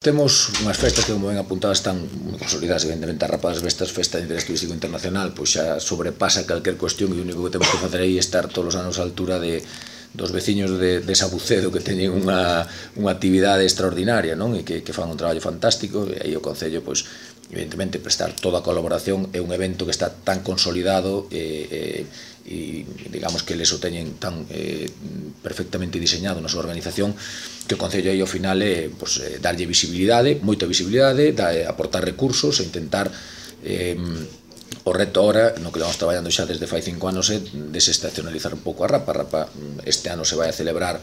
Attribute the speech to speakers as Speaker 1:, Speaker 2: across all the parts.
Speaker 1: Temos unhas festas que, como ben apuntadas, están moi consolidadas, evidentemente. A Rapa das Vestas, festa de interés turístico internacional, pois xa sobrepasa calquer cuestión, e o único que temos que facer aí é estar todos os anos á altura dos veciños de Sabucedo, que teñen unha actividade extraordinaria, non? E que fan un traballo fantástico, e aí o Concello, pois, evidentemente, prestar toda a colaboración. É un evento que está tan consolidado e digamos que eles o teñen tan perfectamente diseñado na súa organización, que o Concello aí ao final é darlle visibilidade, moita visibilidade, aportar recursos e intentar o reto ahora, no que vamos traballando xa desde fai 5 anos, é desestacionalizar un pouco a Rapa. A Rapa este ano se vai a celebrar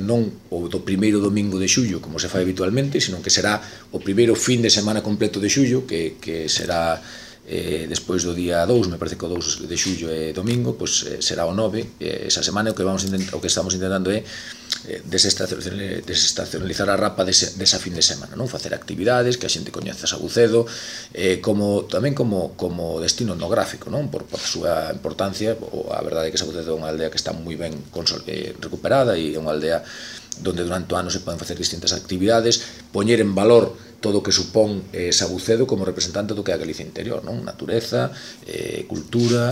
Speaker 1: non o do primeiro domingo de xullo, como se fai habitualmente, sino que será o primeiro fin de semana completo de xullo, que será despois do día 2, me parece que o 2 de xullo é domingo, pois será o 9, esa semana. O que estamos intentando é desestacionalizar a Rapa desa fin de semana, non? Facer actividades, que a xente coñece Sabucedo, tamén como destino etnográfico, non? Por a súa importancia. A verdade é que Sabucedo é unha aldea que está moi ben recuperada, e é unha aldea donde durante o ano se poden facer distintas actividades, poñer en valor todo o que supón Sabucedo como representante do que é a Galicia interior, non? Natureza, cultura,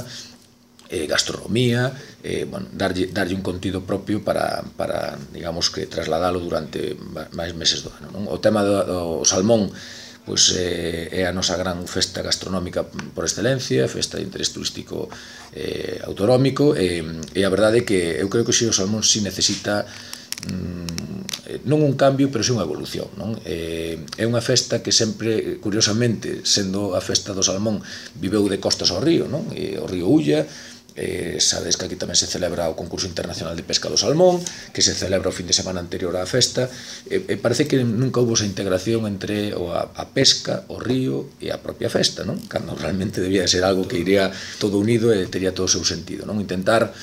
Speaker 1: gastronomía, darlle un contido propio para, digamos, que trasladalo durante máis meses do ano, non? O tema do salmón, pois é a nosa gran festa gastronómica por excelencia, festa de interés turístico autonómico, e a verdade é que eu creo que o salmón si necesita non un cambio, pero si unha evolución, non? É unha festa que sempre, curiosamente, sendo a festa do salmón, viveu de costas ao río, non? O río Ulla. Sabedes que aquí tamén se celebra o concurso internacional de pesca do salmón, que se celebra o fin de semana anterior á festa, e parece que nunca houve esa integración entre a pesca, o río e a propia festa, non? Cando realmente debía ser algo que iría todo unido e tería todo o seu sentido, non? Intentar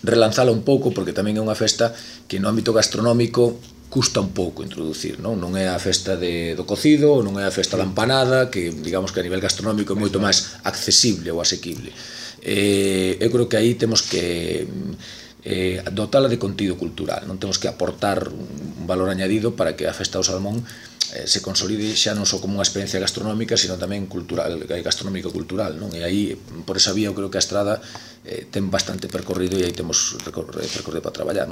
Speaker 1: relanzala un pouco, porque tamén é unha festa que no ámbito gastronómico custa un pouco introducir, non? Non é a festa do cocido, non é a festa da empanada, que digamos que a nivel gastronómico é moito máis accesible ou asequible. Eu creo que aí temos que dotala de contido cultural, non? Temos que aportar un valor añadido para que a festa do salmón se consolide xa non só como unha experiencia gastronómica, sino tamén gastronómico-cultural, non? E aí, por esa vía, eu creo que a estrada ten bastante percorrido, e aí temos percorrido para traballar, non?